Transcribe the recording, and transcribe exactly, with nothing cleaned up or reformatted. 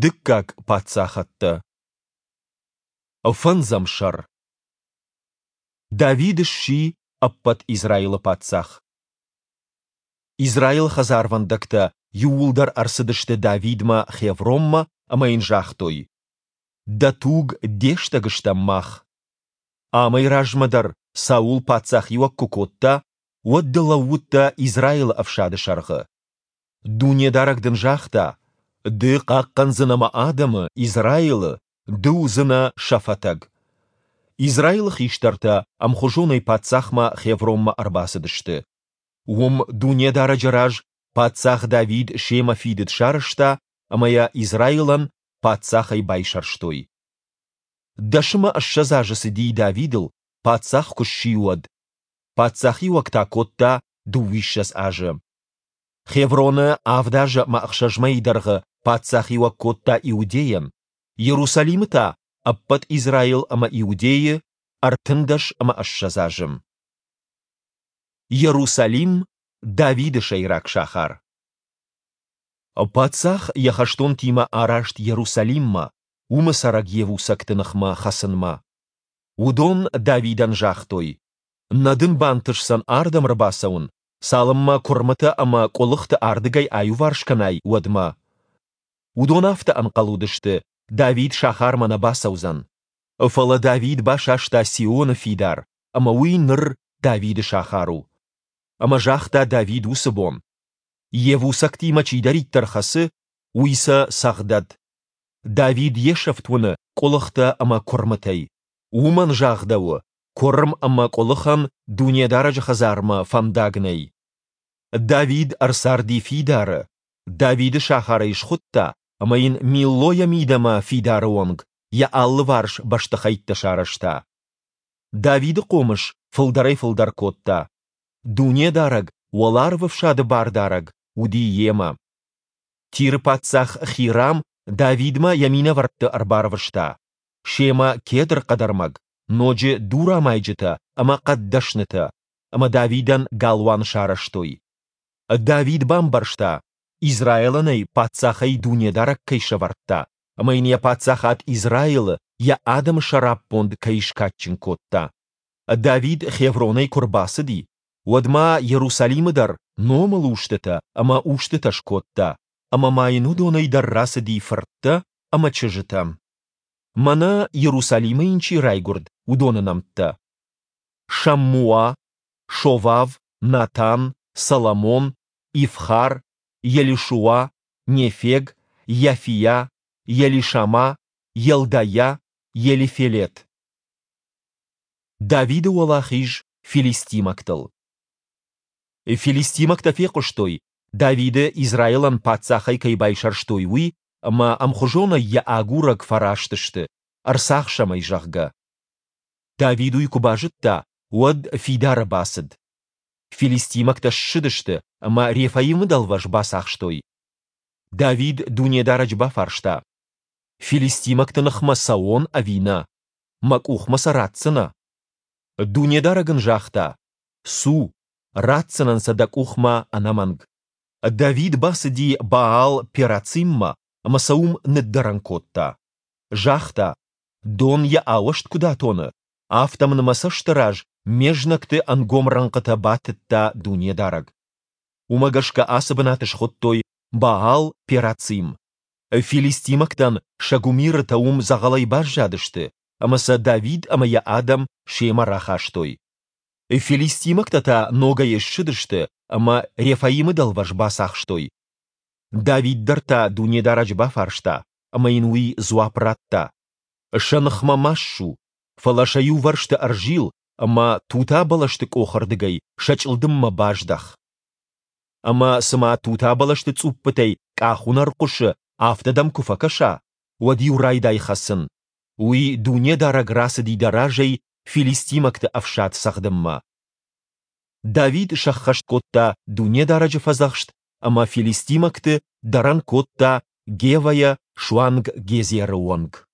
Дыккаг паддзахӕдтӕ. Фӕндзӕм сӕр. Давид сси ӕппӕт Израилы паддзах. Израилы хӕдзарвӕндӕгтӕ иууылдӕр ӕрцыдысты Давидмӕ Хевронмӕ ӕмӕ йын загътой: Дӕ туг, де стӕг стӕм мах. Амӕй размӕ дӕр Саул паддзахиуӕг куы кодта, уӕд ды лӕууыдтӕ Израилы ӕфсады сӕргъы. Дунедарӕг дын загъта: Ды хъахъхъӕндзынӕ мӕ адӕмы, Израилы, ды уыдзынӕ сӕ фӕтӕг. Израилы хистӕртӕ ӕмхуызонӕй паддзахмӕ Хевронмӕ ӕрбацыдысты. Уым Дунедарӕджы раз паддзах Давид семӕ фидыд сарӕзта ӕмӕ йӕ Израилӕн паддзахӕй байсӕрстой. Дӕс ӕмӕ ссӕдз азы цыди Давидыл, паддзах куы сси, уӕд. Паддзахиуӕг та кодта дыууиссӕдз азы. Хевроны авд азы ӕмӕ ӕхсӕз мӕйы дӕргъы паддзахиуӕг кодта Иудейӕн, Иерусалимы та ӕппӕт Израил ӕмӕ Иудейы ӕртындӕс ӕмӕ ссӕдз азы. Иерусалим Давиды сӕйраг сахар. Паддзах йӕ хӕстонтимӕ араст Иерусалиммӕ, уымы цӕрӕг йевусӕгты ныхмӕ хӕцынмӕ. Уыдон Давидӕн загътой: Нӕ дын бантысдзӕн ардӕм ӕрбацӕуын, цалынмӕ куырмытӕ ӕмӕ къуылыхты ардыгӕй аиуварс кӕнай, уӕдмӕ. Уыдон афтӕ ӕнхъӕл уыдысты, Давид сахармӕ нӕ бацӕудзӕн. Фӕлӕ Давид басаста Сионы фидар, ӕмӕ уый ныр Давиды сахар у. Ӕмӕ загъта Давид уыцы бон: Йевусӕгтимӕ чидӕриддӕр хӕцы, уый сӕ цӕгъдӕд. Давид йе сӕфт уыны къуылыхтӕ ӕмӕ куырмытӕй. Уымӕн загъдӕуы, куырм ӕмӕ къуылыхӕн Дунедарӕджы хӕдзармӕ фӕндаг нӕй. Давид ӕрцарди фидары, Давиды сахар ӕй схуыдта, ӕмӕ йын Миллойӕ мидӕмӕ фидары онг йӕ алыварс бӕстыхӕйттӕ сарӕзта. Давиды хъомыс фылдӕрӕй-фылдӕр кодта. Дунедарӕг, Уӕларвӕфсады Бардарӕг, уыди йемӕ. Тиры паддзах Хирам Давидмӕ йӕ минӕвӕртты ӕрбарвыста. Семӕ кедр хъӕдӕрмӕг, ноджы дурамайджытӕ ӕмӕ хъӕддӕснытӕ, ӕмӕ Давидӕн галуан сарӕзтой. Давид бамбӕрста, Израилӕн ӕй паддзахӕй Дунедарӕг кӕй сӕвӕрдта, ӕмӕ йын йӕ паддзахад Израилы, йӕ адӕмы сӕраппонд кӕй скадджын кодта. Давид Хевронӕй куы рбацыди, уӕд ма Иерусалимы дӕр номылустытӕ ӕмӕ устытӕ скодта, ӕмӕ ма йын уыдонӕй дӕр рацыди фырттӕ ӕмӕ чызджытӕ. Мӕнӕ Иерусалимы йын чи райгуырд, уыдоны нӕмттӕ: Шаммуа, Шовав, Натан, Соломон, Ивхар, Елишуа, Нефег, Йафиа, Елишама, Елдайӕ, Елифелет. Давиды уӕлахиз филистимӕгтыл. Филистимӕгтӕ фехъуыстой, Давиды Израилӕн паддзахӕй кӕй байсӕрстой, уый, ӕмӕ ӕмхуызонӕй йӕ агурӕг фӕраст сты, ӕрцахсӕм ӕй, зӕгъгӕ. Давид уый куы базыдта, уӕд фидары бацыд. Филистимӕгтӕ ссыдысты ӕмӕ Рефаимы дӕлвӕз бацахстой. Давид Дунедарӕджы бафарста: Филистимӕгты ныхмӕ цӕуон ӕви нӕ? Мӕ къухмӕ сӕ ратдзынӕ? Дунедарӕг ын загъта: Цу, ратдзынӕн сӕ дӕ къухмӕ ӕнӕмӕнг. Давид бацыди Баал-Перациммӕ ӕмӕ сӕ уым ныддӕрӕн кодта. Загъта: Дон йӕ ауӕзт куыд атоны, афтӕ мын мӕ цӕсты раз ме знӕгты ӕнгом рӕнхъытӕ батыдта Дунедарӕг. Уымӕ гӕсгӕ ацы бынат схуыдтой Баал-Перацим. Филистимӕгтӕн сӕ гуымирытӕ уым дзӕгъӕлӕй баззадысты, ӕмӕ сӕ Давид ӕмӕ йӕ адӕм семӕ рахастой. Филистимӕгтӕ та ногӕй ссыдысты ӕмӕ Рефаимы дӕлвӕз бацахстой. Давид дӕр та Дунедарӕджы бафарста, ӕмӕ йын уый дзуапп радта: Сӕ ныхмӕ ма ссу, фӕлӕ сӕ иувӕрсты ӕрзил ӕмӕ тута бӕлӕсты къохы рдыгӕй сӕ чъылдыммӕ баздӕх. Ӕмӕ цыма тута бӕлӕсты цъуппытӕй къахуынӕр хъуысы, афтӕ дӕм куы фӕкӕса, уӕд-иу райдай хӕцын. Уый Дунедарӕг рацыди дӕ разӕй филистимӕгты ӕфсад цӕгъдынмӕ. Давид сӕххӕст кодта Дунедарӕджы фӕдзӕхст ӕмӕ филистимӕгты дӕрӕн кодта Гевӕйӕ суанг Гезеры онг.